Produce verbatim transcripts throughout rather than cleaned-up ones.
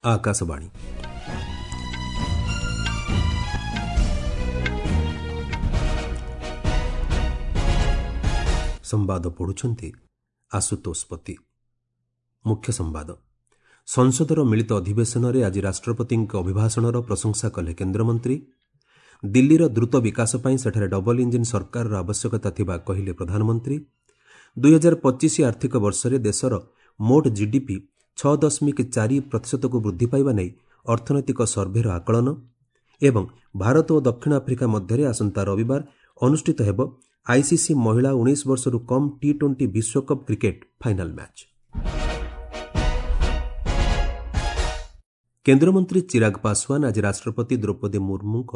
ଆକାଶବାଣୀ। ସମ୍ବାଦ ପଢ଼ୁଛନ୍ତି ଆଶୁତୋଷ ପତି। ମୁଖ୍ୟ ସମ୍ବାଦ। ସଂସଦର ମିଳିତ ଅଧିବେଶନରେ ଆଜି ରାଷ୍ଟ୍ରପତିଙ୍କ ଅଭିଭାଷଣର ପ୍ରଶଂସା କଲେ କେନ୍ଦ୍ରମନ୍ତ୍ରୀ। ଦିଲ୍ଲୀର ଦ୍ରୁତ ବିକାଶ ପାଇଁ ସେଠାରେ ଡବଲ ଇଞ୍ଜିନ୍ ସରକାରର ଆବଶ୍ୟକତା ଥିବା କହିଲେ ପ୍ରଧାନମନ୍ତ୍ରୀ। ଦୁଇହଜାର ପଚିଶ ଆର୍ଥିକ ବର୍ଷରେ ଦେଶର ମୋଟ ଜିଡିପି ଛଅ ଦଶମିକ ଚାରି ପ୍ରତିଶତକୁ ବୃଦ୍ଧି ପାଇବା ନେଇ ଅର୍ଥନୈତିକ ସର୍ଭେର ଆକଳନ। ଏବଂ ଭାରତ ଓ ଦକ୍ଷିଣ ଆଫ୍ରିକା ମଧ୍ୟରେ ଆସନ୍ତା ରବିବାର ଅନୁଷ୍ଠିତ ହେବ ଆଇସିସି ମହିଳା ଉଣେଇଶ ବର୍ଷରୁ କମ୍ ଟି ଟ୍ୱେଣ୍ଟି ବିଶ୍ୱକପ୍ କ୍ରିକେଟ୍ ଫାଇନାଲ୍ ମ୍ୟାଚ୍। କେନ୍ଦ୍ରମନ୍ତ୍ରୀ ଚିରାଗ ପାଶୱାନ ଆଜି ରାଷ୍ଟ୍ରପତି ଦ୍ରୌପଦୀ ମୁର୍ମୁଙ୍କ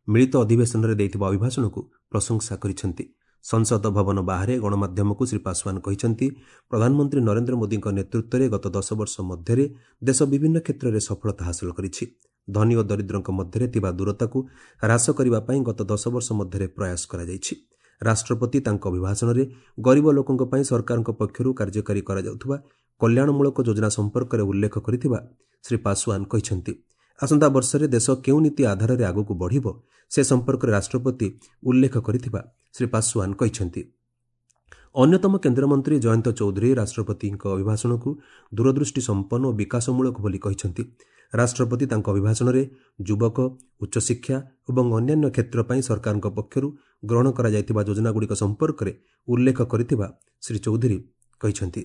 ମିଳିତ ଅଧିବେଶନରେ ଦେଇଥିବା ଅଭିଭାଷଣକୁ ପ୍ରଶଂସା କରିଛନ୍ତି। ସଂସଦ ଭବନ ବାହାରେ ଗଣମାଧ୍ୟମକୁ ଶ୍ରୀ ପାଶୱାନ କହିଛନ୍ତି, ପ୍ରଧାନମନ୍ତ୍ରୀ ନରେନ୍ଦ୍ର ମୋଦିଙ୍କ ନେତୃତ୍ୱରେ ଗତ ଦଶ ବର୍ଷ ମଧ୍ୟରେ ଦେଶ ବିଭିନ୍ନ କ୍ଷେତ୍ରରେ ସଫଳତା ହାସଲ କରିଛି। ଧନୀ ଓ ଦରିଦ୍ରଙ୍କ ମଧ୍ୟରେ ଥିବା ଦୂରତାକୁ ହ୍ରାସ କରିବା ପାଇଁ ଗତ ଦଶ ବର୍ଷ ମଧ୍ୟରେ ପ୍ରୟାସ କରାଯାଇଛି। ରାଷ୍ଟ୍ରପତି ତାଙ୍କ ଅଭିଭାଷଣରେ ଗରିବ ଲୋକଙ୍କ ପାଇଁ ସରକାରଙ୍କ ପକ୍ଷରୁ କାର୍ଯ୍ୟକାରୀ କରାଯାଉଥିବା କଲ୍ୟାଣମୂଳକ ଯୋଜନା ସମ୍ପର୍କରେ ଉଲ୍ଲେଖ କରିଥିବା ଶ୍ରୀ ପାଶୱାନ କହିଛନ୍ତି। ଆସନ୍ତା ବର୍ଷରେ ଦେଶ କେଉଁ ନୀତି ଆଧାରରେ ଆଗକୁ ବଢ଼ିବ ସେ ସମ୍ପର୍କରେ ରାଷ୍ଟ୍ରପତି ଉଲ୍ଲେଖ କରିଥିବା ଶ୍ରୀ ପାଶୱାନ କହିଛନ୍ତି। ଅନ୍ୟତମ କେନ୍ଦ୍ରମନ୍ତ୍ରୀ ଜୟନ୍ତ ଚୌଧୁରୀ ରାଷ୍ଟ୍ରପତିଙ୍କ ଅଭିଭାଷଣକୁ ଦୂରଦୃଷ୍ଟି ସମ୍ପନ୍ନ ଓ ବିକାଶମୂଳକ ବୋଲି କହିଛନ୍ତି। ରାଷ୍ଟ୍ରପତି ତାଙ୍କ ଅଭିଭାଷଣରେ ଯୁବକ, ଉଚ୍ଚଶିକ୍ଷା ଏବଂ ଅନ୍ୟାନ୍ୟ କ୍ଷେତ୍ର ପାଇଁ ସରକାରଙ୍କ ପକ୍ଷରୁ ଗ୍ରହଣ କରାଯାଇଥିବା ଯୋଜନାଗୁଡ଼ିକ ସମ୍ପର୍କରେ ଉଲ୍ଲେଖ କରିଥିବା ଶ୍ରୀ ଚୌଧୁରୀ କହିଛନ୍ତି।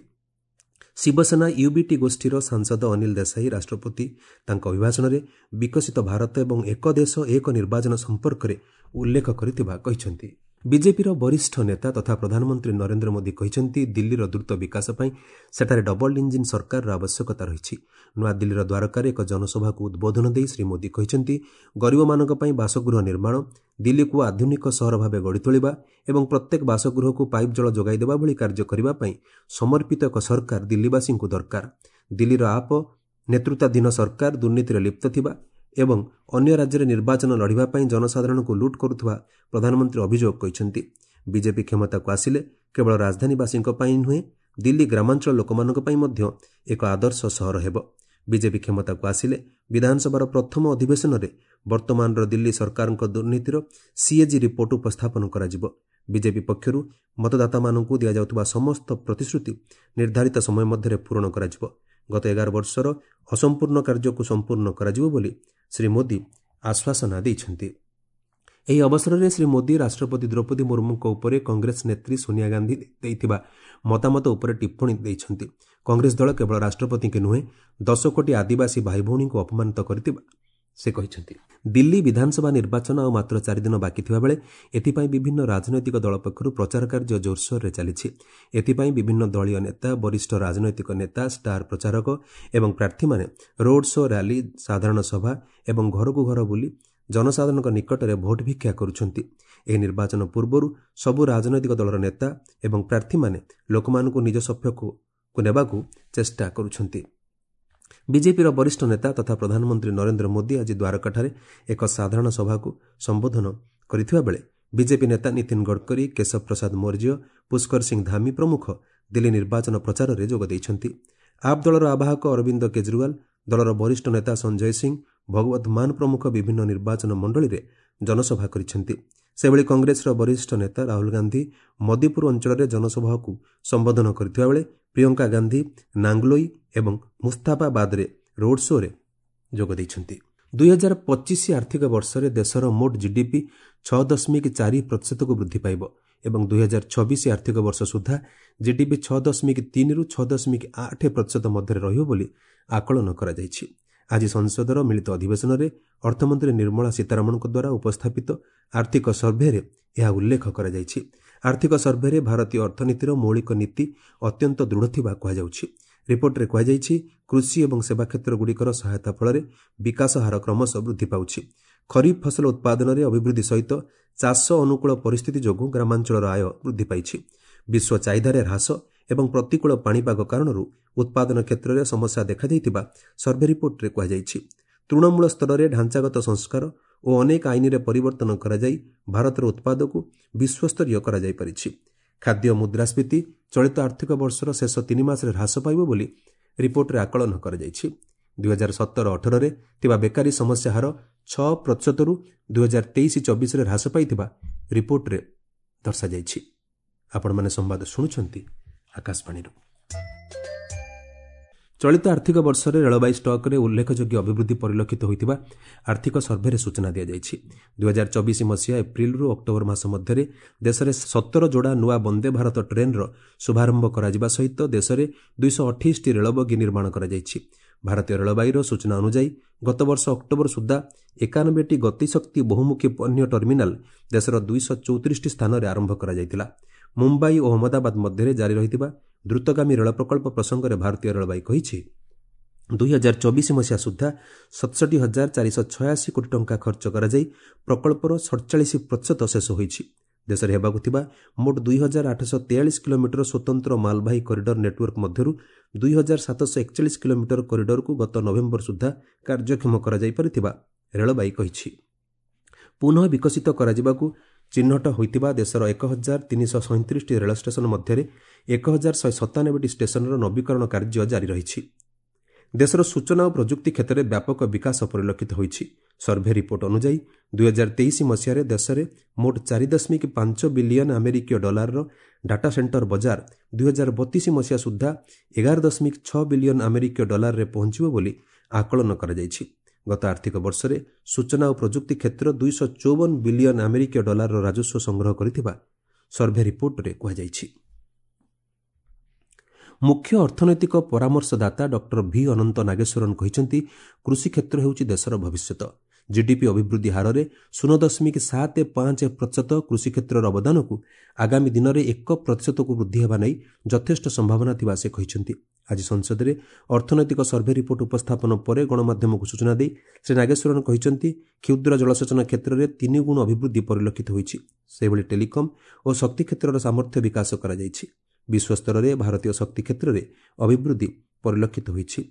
ଶିବସେନା ୟୁବିଟି ଗୋଷ୍ଠୀର ସାଂସଦ ଅନିଲ ଦେଶାଇ ରାଷ୍ଟ୍ରପତି ତାଙ୍କ ଅଭିଭାଷଣରେ ବିକଶିତ ଭାରତ ଏବଂ ଏକ ଦେଶ ଏକ ନିର୍ବାଚନ ସମ୍ପର୍କରେ ଉଲ୍ଲେଖ କରିଥିବା କହିଛନ୍ତି। ବିଜେପିର ବରିଷ୍ଠ ନେତା ତଥା ପ୍ରଧାନମନ୍ତ୍ରୀ ନରେନ୍ଦ୍ର ମୋଦି କହିଛନ୍ତି, ଦିଲ୍ଲୀର ଦ୍ରୁତ ବିକାଶ ପାଇଁ ସେଠାରେ ଡବଲ ଇଞ୍ଜିନ୍ ସରକାରର ଆବଶ୍ୟକତା ରହିଛି। ନୂଆଦିଲ୍ଲୀର ଦ୍ୱାରକାରେ ଏକ ଜନସଭାକୁ ଉଦ୍ବୋଧନ ଦେଇ ଶ୍ରୀ ମୋଦି କହିଛନ୍ତି, ଗରିବମାନଙ୍କ ପାଇଁ ବାସଗୃହ ନିର୍ମାଣ, ଦିଲ୍ଲୀକୁ ଆଧୁନିକ ସହର ଭାବେ ଗଢ଼ି ତୋଳିବା ଏବଂ ପ୍ରତ୍ୟେକ ବାସଗୃହକୁ ପାଇପ୍ ଜଳ ଯୋଗାଇ ଦେବା ଭଳି କାର୍ଯ୍ୟ କରିବା ପାଇଁ ସମର୍ପିତ ଏକ ସରକାର ଦିଲ୍ଲୀବାସୀଙ୍କୁ ଦରକାର। ଦିଲ୍ଲୀର ଆପ ନେତୃତ୍ୱାଧୀନ ସରକାର ଦୁର୍ନୀତିରେ ଲିପ୍ତ ଥିବା ଏବଂ ଅନ୍ୟ ରାଜ୍ୟରେ ନିର୍ବାଚନ ଲଢ଼ିବା ପାଇଁ ଜନସାଧାରଣଙ୍କୁ ଲୁଟ୍ କରୁଥିବା ପ୍ରଧାନମନ୍ତ୍ରୀ ଅଭିଯୋଗ କରିଛନ୍ତି। ବିଜେପି କ୍ଷମତାକୁ ଆସିଲେ କେବଳ ରାଜଧାନୀବାସୀଙ୍କ ପାଇଁ ନୁହେଁ, ଦିଲ୍ଲୀ ଗ୍ରାମାଞ୍ଚଳ ଲୋକମାନଙ୍କ ପାଇଁ ମଧ୍ୟ ଏକ ଆଦର୍ଶ ସହର ହେବ। ବିଜେପି କ୍ଷମତାକୁ ଆସିଲେ ବିଧାନସଭାର ପ୍ରଥମ ଅଧିବେଶନରେ ବର୍ତ୍ତମାନର ଦିଲ୍ଲୀ ସରକାରଙ୍କ ଦୁର୍ନୀତିର ସିଏଜି ରିପୋର୍ଟ ଉପସ୍ଥାପନ କରାଯିବ। ବିଜେପି ପକ୍ଷରୁ ମତଦାତାମାନଙ୍କୁ ଦିଆଯାଉଥିବା ସମସ୍ତ ପ୍ରତିଶ୍ରୁତି ନିର୍ଦ୍ଧାରିତ ସମୟ ମଧ୍ୟରେ ପୂରଣ କରାଯିବ। ଗତ ଏଗାର ବର୍ଷର ଅସମ୍ପୂର୍ଣ୍ଣ କାର୍ଯ୍ୟକୁ ସମ୍ପୂର୍ଣ୍ଣ କରାଯିବ ବୋଲି ଶ୍ରୀ ମୋଦି ଆଶ୍ୱାସନା ଦେଇଛନ୍ତି। ଏହି ଅବସରରେ ଶ୍ରୀ ମୋଦି ରାଷ୍ଟ୍ରପତି ଦ୍ରୌପଦୀ ମୁର୍ମୁଙ୍କ ଉପରେ କଂଗ୍ରେସ ନେତ୍ରୀ ସୋନିଆ ଗାନ୍ଧୀ ଦେଇଥିବା ମତାମତ ଉପରେ ଟିପ୍ପଣୀ ଦେଇଛନ୍ତି। କଂଗ୍ରେସ ଦଳ କେବଳ ରାଷ୍ଟ୍ରପତିଙ୍କୁ ନୁହେଁ, ଦଶ କୋଟି ଆଦିବାସୀ ଭାଇଭଉଣୀଙ୍କୁ ଅପମାନିତ କରିଥିବା ସେ କହିଛନ୍ତି। ଦିଲ୍ଲୀ ବିଧାନସଭା ନିର୍ବାଚନ ଆଉ ମାତ୍ର ଚାରିଦିନ ବାକି ଥିବାବେଳେ ଏଥିପାଇଁ ବିଭିନ୍ନ ରାଜନୈତିକ ଦଳ ପକ୍ଷରୁ ପ୍ରଚାର କାର୍ଯ୍ୟ ଜୋରସୋରରେ ଚାଲିଛି। ଏଥିପାଇଁ ବିଭିନ୍ନ ଦଳୀୟ ନେତା, ବରିଷ୍ଠ ରାଜନୈତିକ ନେତା, ଷ୍ଟାର ପ୍ରଚାରକ ଏବଂ ପ୍ରାର୍ଥୀମାନେ ରୋଡ୍ ଶୋ, ର୍ୟାଲି, ସାଧାରଣ ସଭା ଏବଂ ଘରକୁ ଘର ବୁଲି ଜନସାଧାରଣଙ୍କ ନିକଟରେ ଭୋଟ ଭିକ୍ଷା କରୁଛନ୍ତି। ଏହି ନିର୍ବାଚନ ପୂର୍ବରୁ ସବୁ ରାଜନୈତିକ ଦଳର ନେତା ଏବଂ ପ୍ରାର୍ଥୀମାନେ ଲୋକମାନଙ୍କୁ ନିଜ ସପକ୍ଷକୁ ନେବାକୁ ଚେଷ୍ଟା କରୁଛନ୍ତି। ବିଜେପିର ବରିଷ୍ଠ ନେତା ତଥା ପ୍ରଧାନମନ୍ତ୍ରୀ ନରେନ୍ଦ୍ର ମୋଦି ଆଜି ଦ୍ୱାରକାଠାରେ ଏକ ସାଧାରଣ ସଭାକୁ ସମ୍ବୋଧନ କରିଥିବା ବେଳେ ବିଜେପି ନେତା ନୀତିନ ଗଡ଼କରୀ, କେଶବ ପ୍ରସାଦ ମୌର୍ଯ୍ୟ, ପୁଷ୍କର ସିଂ ଧାମି ପ୍ରମୁଖ ଦିଲ୍ଲୀ ନିର୍ବାଚନ ପ୍ରଚାରରେ ଯୋଗ ଦେଇଛନ୍ତି। ଆପ୍ ଦଳର ଆବାହକ ଅରବିନ୍ଦ କେଜରିୱାଲ, ଦଳର ବରିଷ୍ଠ ନେତା ସଞ୍ଜୟ ସିଂ, ଭଗବତ ମାନ ପ୍ରମୁଖ ବିଭିନ୍ନ ନିର୍ବାଚନ ମଣ୍ଡଳୀରେ ଜନସଭା କରିଛନ୍ତି। ସେଭଳି କଂଗ୍ରେସର ବରିଷ୍ଠ ନେତା ରାହୁଲ ଗାନ୍ଧୀ ମଦିପୁର ଅଞ୍ଚଳରେ ଜନସଭାକୁ ସମ୍ବୋଧନ କରିଥିବା ବେଳେ ପ୍ରିୟଙ୍କା ଗାନ୍ଧୀ ନାଙ୍ଗଲୋଇ ଏବଂ ମୁସ୍ତାଫାବାଦରେ ରୋଡ୍ ଶୋରେ ଯୋଗ ଦେଇଛନ୍ତି। ଦୁଇହଜାର ପଚିଶ ଆର୍ଥିକ ବର୍ଷରେ ଦେଶର ମୋଟ ଜିଡିପି ଛଅ ଦଶମିକ ଚାରି ପ୍ରତିଶତକୁ ବୃଦ୍ଧି ପାଇବ ଏବଂ ଦୁଇହଜାର ଛବିଶ ଆର୍ଥିକ ବର୍ଷ ସୁଦ୍ଧା ଜିଡିପି ଛଅ ଦଶମିକ ତିନିରୁ ଛଅ ଦଶମିକ ଆଠ ପ୍ରତିଶତ ମଧ୍ୟରେ ରହିବ ବୋଲି ଆକଳନ କରାଯାଇଛି। ଆଜି ସଂସଦର ମିଳିତ ଅଧିବେଶନରେ ଅର୍ଥମନ୍ତ୍ରୀ ନିର୍ମଳା ସୀତାରମଣଙ୍କ ଦ୍ୱାରା ଉପସ୍ଥାପିତ ଆର୍ଥିକ ସର୍ଭେରେ ଏହା ଉଲ୍ଲେଖ କରାଯାଇଛି। ଆର୍ଥିକ ସର୍ଭେରେ ଭାରତୀୟ ଅର୍ଥନୀତିର ମୌଳିକ ନୀତି ଅତ୍ୟନ୍ତ ଦୃଢ଼ ଥିବା କୁହାଯାଉଛି। ରିପୋର୍ଟରେ କୁହାଯାଇଛି, କୃଷି ଏବଂ ସେବା କ୍ଷେତ୍ରଗୁଡ଼ିକର ସହାୟତା ଫଳରେ ବିକାଶ ହାର କ୍ରମଶଃ ବୃଦ୍ଧି ପାଉଛି। ଖରିଫ ଫସଲ ଉତ୍ପାଦନରେ ଅଭିବୃଦ୍ଧି ସହିତ ଚାଷ ଅନୁକୂଳ ପରିସ୍ଥିତି ଯୋଗୁଁ ଗ୍ରାମାଞ୍ଚଳର ଆୟ ବୃଦ୍ଧି ପାଇଛି। ବିଶ୍ୱ ଚାହିଦାରେ ହ୍ରାସ ଏବଂ ପ୍ରତିକୂଳ ପାଣିପାଗ କାରଣରୁ ଉତ୍ପାଦନ କ୍ଷେତ୍ରରେ ସମସ୍ୟା ଦେଖାଦେଇଥିବା ସର୍ଭେ ରିପୋର୍ଟରେ କୁହାଯାଇଛି। ତୃଣମୂଳ ସ୍ତରରେ ଢାଞ୍ଚାଗତ ସଂସ୍କାର ଓ ଅନେକ ଆଇନରେ ପରିବର୍ତ୍ତନ କରାଯାଇ ଭାରତର ଉତ୍ପାଦକୁ ବିଶ୍ୱସ୍ତରୀୟ କରାଯାଇପାରିଛି। ଖାଦ୍ୟ ମୁଦ୍ରାସ୍ଫୀତି ଚଳିତ ଆର୍ଥିକ ବର୍ଷର ଶେଷ ତିନି ମାସରେ ହ୍ରାସ ପାଇବ ବୋଲି ରିପୋର୍ଟରେ ଆକଳନ କରାଯାଇଛି। ଦୁଇହଜାର ସତର ଅଠରରେ ଥିବା ବେକାରୀ ସମସ୍ୟା ହାର ଛଅ ପ୍ରତିଶତରୁ ଦୁଇହଜାର ତେଇଶ ଚବିଶରେ ହ୍ରାସ ପାଇଥିବା ରିପୋର୍ଟରେ ଦର୍ଶାଯାଇଛି। ଆପଣମାନେ ସମ୍ବାଦ ଶୁଣୁଛନ୍ତି ଆକାଶବାଣୀରୁ। ଚଳିତ ଆର୍ଥିକ ବର୍ଷରେ ରେଳବାଇ ଷ୍ଟକ୍ରେ ଉଲ୍ଲେଖଯୋଗ୍ୟ ଅଭିବୃଦ୍ଧି ପରିଲକ୍ଷିତ ହୋଇଥିବା ଆର୍ଥିକ ସର୍ଭେରେ ସୂଚନା ଦିଆଯାଇଛି। ଦୁଇହଜାର ଚବିଶ ମସିହା ଏପ୍ରିଲରୁ ଅକ୍ଟୋବର ମାସ ମଧ୍ୟରେ ଦେଶରେ ସତର ଯୋଡ଼ା ନୂଆ ବନ୍ଦେ ଭାରତ ଟ୍ରେନ୍ର ଶୁଭାରମ୍ଭ କରାଯିବା ସହିତ ଦେଶରେ ଦୁଇଶହ ଅଠେଇଶଟି ରେଳବଗି ନିର୍ମାଣ କରାଯାଇଛି। ଭାରତୀୟ ରେଳବାଇର ସୂଚନା ଅନୁଯାୟୀ ଗତବର୍ଷ ଅକ୍ଟୋବର ସୁଦ୍ଧା ଏକାନବେଟି ଗତିଶକ୍ତି ବହୁମୁଖୀ ପଣ୍ୟ ଟର୍ମିନାଲ ଦେଶର ଦୁଇଶହ ଚଉତିରିଶଟି ସ୍ଥାନରେ ଆରମ୍ଭ କରାଯାଇଥିଲା। ମୁମ୍ବାଇ ଓ ଅହମ୍ମଦାବାଦ ମଧ୍ୟରେ ଜାରି ରହିଥିବା ଦ୍ରୁତଗାମୀ ରେଳ ପ୍ରକଳ୍ପ ପ୍ରସଙ୍ଗରେ ଭାରତୀୟ ରେଳବାଇ କହିଛି, ଦୁଇହଜାର ଚବିଶ ମସିହା ସୁଦ୍ଧା ସତଷଠି ହଜାର ଚାରିଶହ ଛୟାଅଶୀ କୋଟି ଟଙ୍କା ଖର୍ଚ୍ଚ କରାଯାଇ ପ୍ରକଳ୍ପର ସଡ଼ଚାଳିଶ ପ୍ରତିଶତ ଶେଷ ହୋଇଛି। ଦେଶରେ ହେବାକୁ ଥିବା ମୋଟ ଦୁଇ ହଜାର ଆଠଶହ ତେୟାଳିଶ କିଲୋମିଟର ସ୍ୱତନ୍ତ୍ର ମାଲବାହୀ କରିଡର ନେଟୱାର୍କ ମଧ୍ୟରୁ ଦୁଇ ହଜାର ସାତଶହ ଏକଚାଳିଶ କିଲୋମିଟର କରିଡରକୁ ଗତ ନଭେମ୍ବର ସୁଦ୍ଧା କାର୍ଯ୍ୟକ୍ଷମ କରାଯାଇପାରିଥିବା ରେଳବାଇ କହିଛି। ପୁନଃ ବିକଶିତ କରାଯିବାକୁ ଚିହ୍ନଟ ହୋଇଥିବା ଦେଶର ଏକ ହଜାର ତିନିଶହ ସଇଁତିରିଶଟି ରେଳ ଷ୍ଟେସନ ମଧ୍ୟରେ ଏକ ହଜାର ଶହେ ସତାନବେଟି ଷ୍ଟେସନର ନବୀକରଣ କାର୍ଯ୍ୟ ଜାରି ରହିଛି। ଦେଶର ସୂଚନା ଓ ପ୍ରଯୁକ୍ତି କ୍ଷେତ୍ରରେ ବ୍ୟାପକ ବିକାଶ ପରିଲକ୍ଷିତ ହୋଇଛି। ସର୍ଭେ ରିପୋର୍ଟ ଅନୁଯାୟୀ ଦୁଇହଜାର ତେଇଶ ମସିହାରେ ଦେଶରେ ମୋଟ ଚାରି ଦଶମିକ ପାଞ୍ଚ ବିଲିୟନ ଆମେରିକୀୟ ଡଲାରର ଡାଟା ସେଣ୍ଟର ବଜାର ଦୁଇହଜାର ବତିଶ ମସିହା ସୁଦ୍ଧା ଏଗାର ଦଶମିକ ଛଅ ବିଲିୟନ ଆମେରିକୀୟ ଡଲାରରେ ପହଞ୍ଚିବ ବୋଲି ଆକଳନ କରାଯାଇଛି। ଗତ ଆର୍ଥିକ ବର୍ଷରେ ସୂଚନା ଓ ପ୍ରଯୁକ୍ତି କ୍ଷେତ୍ର ଦୁଇଶହ ଚଉବନ ବିଲିୟନ ଆମେରିକୀୟ ଡଲାରର ରାଜସ୍ୱ ସଂଗ୍ରହ କରିଥିବା ସର୍ଭେ ରିପୋର୍ଟରେ କୁହାଯାଇଛି। ମୁଖ୍ୟ ଅର୍ଥନୈତିକ ପରାମର୍ଶଦାତା ଡକ୍ଟର ଭି ଅନନ୍ତ ନାଗେଶ୍ୱରନ୍ କହିଛନ୍ତି, କୃଷି କ୍ଷେତ୍ର ହେଉଛି ଦେଶର ଭବିଷ୍ୟତ। ଜିଡିପି ଅଭିବୃଦ୍ଧି ହାରରେ ଶୂନ ଦଶମିକ ସାତ ପାଞ୍ଚ ପ୍ରତିଶତ କୃଷି କ୍ଷେତ୍ରର ଅବଦାନକୁ ଆଗାମୀ ଦିନରେ ଏକ ପ୍ରତିଶତକୁ ବୃଦ୍ଧି ହେବା ନେଇ ଯଥେଷ୍ଟ ସମ୍ଭାବନା ଥିବା ସେ କହିଛନ୍ତି। ଆଜି ସଂସଦରେ ଅର୍ଥନୈତିକ ସର୍ଭେ ରିପୋର୍ଟ ଉପସ୍ଥାପନ ପରେ ଗଣମାଧ୍ୟମକୁ ସୂଚନା ଦେଇ ଶ୍ରୀ ନାଗେଶ୍ୱରନ୍ କହିଛନ୍ତି, କ୍ଷୁଦ୍ର ଜଳସେଚନ କ୍ଷେତ୍ରରେ ତିନି ଗୁଣ ଅଭିବୃଦ୍ଧି ପରିଲକ୍ଷିତ ହୋଇଛି। ସେହିଭଳି ଟେଲିକମ୍ ଓ ଶକ୍ତି କ୍ଷେତ୍ରର ସାମର୍ଥ୍ୟ ବିକାଶ କରାଯାଇଛି। ବିଶ୍ୱସ୍ତରରେ ଭାରତୀୟ ଶକ୍ତି କ୍ଷେତ୍ରରେ ଅଭିବୃଦ୍ଧି ପରିଲକ୍ଷିତ ହୋଇଛି।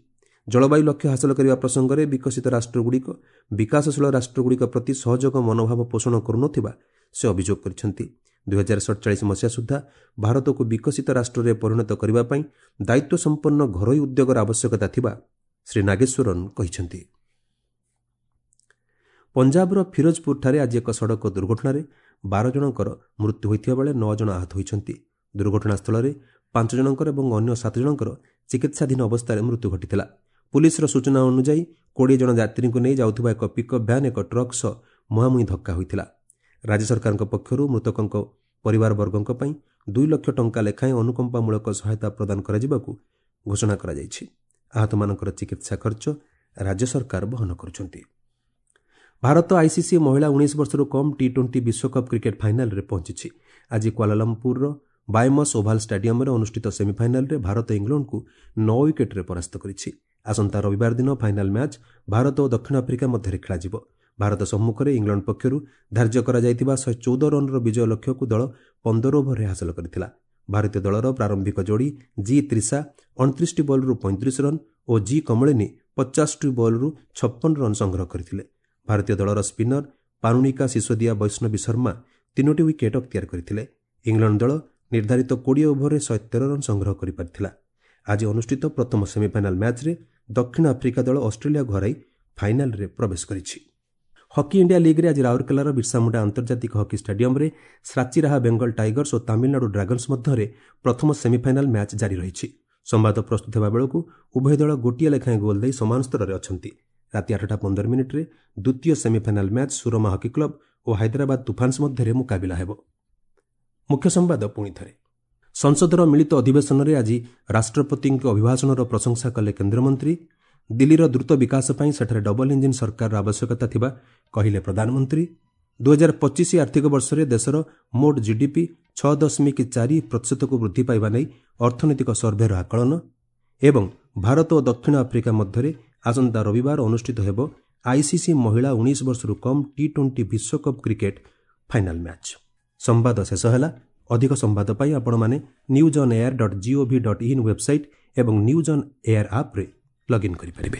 ଜଳବାୟୁ ଲକ୍ଷ୍ୟ ହାସଲ କରିବା ପ୍ରସଙ୍ଗରେ ବିକଶିତ ରାଷ୍ଟ୍ରଗୁଡ଼ିକ ବିକାଶଶୀଳ ରାଷ୍ଟ୍ରଗୁଡ଼ିକ ପ୍ରତି ସହଯୋଗ ମନୋଭାବ ପୋଷଣ କରୁନଥିବା ସେ ଅଭିଯୋଗ କରିଛନ୍ତି। ଦୁଇହଜାର ସଡ଼ଚାଳିଶ ମସିହା ସୁଦ୍ଧା ଭାରତକୁ ବିକଶିତ ରାଷ୍ଟ୍ରରେ ପରିଣତ କରିବା ପାଇଁ ଦାୟିତ୍ୱ ସମ୍ପନ୍ନ ଘରୋଇ ଉଦ୍ୟୋଗର ଆବଶ୍ୟକତା ଥିବା ଶ୍ରୀ ନାଗେଶ୍ୱରନ୍ କହିଛନ୍ତି। ପଞ୍ଜାବର ଫିରୋଜପୁରଠାରେ ଆଜି ଏକ ସଡ଼କ ଦୁର୍ଘଟଣାରେ ବାର ଜଣଙ୍କର ମୃତ୍ୟୁ ହୋଇଥିବା ବେଳେ ନଅ ଜଣ ଆହତ ହୋଇଛନ୍ତି। ଦୁର୍ଘଟଣାସ୍ଥଳରେ ପାଞ୍ଚ ଜଣଙ୍କର ଏବଂ ଅନ୍ୟ ସାତ ଜଣଙ୍କର ଚିକିତ୍ସାଧୀନ ଅବସ୍ଥାରେ ମୃତ୍ୟୁ ଘଟିଥିଲା। ପୁଲିସର ସୂଚନା ଅନୁଯାୟୀ କୋଡ଼ିଏ ଜଣ ଯାତ୍ରୀଙ୍କୁ ନେଇ ଯାଉଥିବା ଏକ ପିକଅପ୍ ଭ୍ୟାନ୍ ଏକ ଟ୍ରକ୍ ସହ ମୁହାଁମୁହିଁ ଧକ୍କା ହୋଇଥିଲା। ରାଜ୍ୟ ସରକାରଙ୍କ ପକ୍ଷରୁ ମୃତକଙ୍କ ପରିବାରବର୍ଗଙ୍କ ପାଇଁ ଦୁଇ ଲକ୍ଷ ଟଙ୍କା ଲେଖାଏଁ ଅନୁକମ୍ପାମୂଳକ ସହାୟତା ପ୍ରଦାନ କରାଯିବାକୁ ଘୋଷଣା କରାଯାଇଛି। ଆହତମାନଙ୍କର ଚିକିତ୍ସା ଖର୍ଚ୍ଚ ରାଜ୍ୟ ସରକାର ବହନ କରୁଛନ୍ତି। ଭାରତ ଆଇସିସି ମହିଳା ଉଣେଇଶ ବର୍ଷରୁ କମ୍ ଟି ଟ୍ୱେଣ୍ଟି ବିଶ୍ୱକପ୍ କ୍ରିକେଟ୍ ଫାଇନାଲରେ ପହଞ୍ଚିଛି। ଆଜି କ୍ୱାଲାଲମ୍ପୁରର ବାୟମସ୍ ଓଭାଲ ଷ୍ଟାଡିୟମରେ ଅନୁଷ୍ଠିତ ସେମିଫାଇନାଲରେ ଭାରତ ଇଂଲଣ୍ଡକୁ ନଅ ୱିକେଟ୍ରେ ପରାସ୍ତ କରିଛି। ଆସନ୍ତା ରବିବାର ଦିନ ଫାଇନାଲ ମ୍ୟାଚ୍ ଭାରତ ଓ ଦକ୍ଷିଣ ଆଫ୍ରିକା ମଧ୍ୟରେ ଖେଳାଯିବ। ଭାରତ ସମ୍ମୁଖରେ ଇଂଲଣ୍ଡ ପକ୍ଷରୁ ଧାର୍ଯ୍ୟ କରାଯାଇଥିବା ଶହେ ଚଉଦ ରନ୍ର ବିଜୟ ଲକ୍ଷ୍ୟକୁ ଦଳ ପନ୍ଦର ଓଭରରେ ହାସଲ କରିଥିଲା। ଭାରତୀୟ ଦଳର ପ୍ରାରମ୍ଭିକ ଯୋଡ଼ି ଜି ତ୍ରିଶା ଅଣତିରିଶଟି ବଲ୍ରୁ ପଇଁତିରିଶ ରନ୍ ଓ ଜି କମଳିନୀ ପଚାଶଟି ବଲ୍ରୁ ଛପନ ରନ୍ ସଂଗ୍ରହ କରିଥିଲେ। ଭାରତୀୟ ଦଳର ସ୍ପିନର ପାରୁଣିକା ସିସୋଦିଆ ବୈଷ୍ଣବୀ ଶର୍ମା ତିନୋଟି ୱିକେଟ୍ ଅକ୍ତିଆର କରିଥିଲେ। ଇଂଲଣ୍ଡ ଦଳ ନିର୍ଦ୍ଧାରିତ କୋଡ଼ିଏ ଓଭରରେ ଶହେ ତେର ରନ୍ ସଂଗ୍ରହ କରିପାରିଥିଲା। ଆଜି ଅନୁଷ୍ଠିତ ପ୍ରଥମ ସେମିଫାଇନାଲ ମ୍ୟାଚ୍ରେ ଦକ୍ଷିଣ ଆଫ୍ରିକା ଦଳ ଅଷ୍ଟ୍ରେଲିଆକୁ ହରାଇ ଫାଇନାଲରେ ପ୍ରବେଶ କରିଛି। ହକି ଇଣ୍ଡିଆ ଲିଗ୍ରେ ଆଜି ରାଉରକେଲାର ବିର୍ସାମୁଣ୍ଡା ଆନ୍ତର୍ଜାତିକ ହକି ଷ୍ଟାଡିୟମରେ ସାଚିରାହା ବେଙ୍ଗଲ ଟାଇଗର୍ସ ଓ ତାମିଲନାଡୁ ଡ୍ରାଗନ୍ସ ମଧ୍ୟରେ ପ୍ରଥମ ସେମିଫାଇନାଲ ମ୍ୟାଚ୍ ଜାରି ରହିଛି। ସମ୍ବାଦ ପ୍ରସ୍ତୁତ ହେବା ବେଳକୁ ଉଭୟ ଦଳ ଗୋଟିଏ ଲେଖାଏଁ ଗୋଲ୍ ଦେଇ ସମାନ ସ୍ତରରେ ଅଛନ୍ତି। ରାତି ଆଠଟା ପନ୍ଦର ମିନିଟ୍ରେ ଦ୍ୱିତୀୟ semifinal match Soorma hockey club ଓ ହାଇଦ୍ରାବାଦ ତୁଫାନ୍ସ ମଧ୍ୟରେ ମୁକାବିଲା ହେବ। ମୁଖ୍ୟ ସମ୍ବାଦ ପୁଣି ଥରେ। ସଂସଦର ମିଳିତ ଅଧିବେଶନରେ ଆଜି ରାଷ୍ଟ୍ରପତିଙ୍କ ଅଭିଭାଷଣର ପ୍ରଶଂସା କଲେ କେନ୍ଦ୍ରମନ୍ତ୍ରୀ। ଦିଲ୍ଲୀର ଦ୍ରୁତ ବିକାଶ ପାଇଁ ସେଠାରେ ଡବଲ ଇଞ୍ଜିନ୍ ସରକାରର ଆବଶ୍ୟକତା ଥିବା କହିଲେ ପ୍ରଧାନମନ୍ତ୍ରୀ। ଦୁଇହଜାର ପଚିଶ ଆର୍ଥିକ ବର୍ଷରେ ଦେଶର ମୋଟ ଜିଡିପି ଛଅ ଦଶମିକ ଚାରି ପ୍ରତିଶତକୁ ବୃଦ୍ଧି ପାଇବା ନେଇ ଅର୍ଥନୈତିକ ସର୍ଭେର ଆକଳନ। ଏବଂ ଭାରତ ଓ ଦକ୍ଷିଣ ଆଫ୍ରିକା ମଧ୍ୟରେ ଆସନ୍ତା ରବିବାର ଅନୁଷ୍ଠିତ ହେବ ଆଇସିସି ମହିଳା ଉଣେଇଶ ବର୍ଷରୁ କମ୍ ଟି ଟ୍ୱେଣ୍ଟି ବିଶ୍ୱକପ୍ କ୍ରିକେଟ୍ ଫାଇନାଲ ମ୍ୟାଚ୍। ସମ୍ବାଦ ଶେଷ ହେଲା। ଅଧିକ ସମ୍ବାଦ ପାଇଁ ଆପଣମାନେ news on air dot gov dot in website ଏବଂ ନ୍ୟୁଜ୍ ଅନ୍ ଏୟାର ଆପ୍ରେ ଲଗ୍ଇନ୍ କରିପାରିବେ।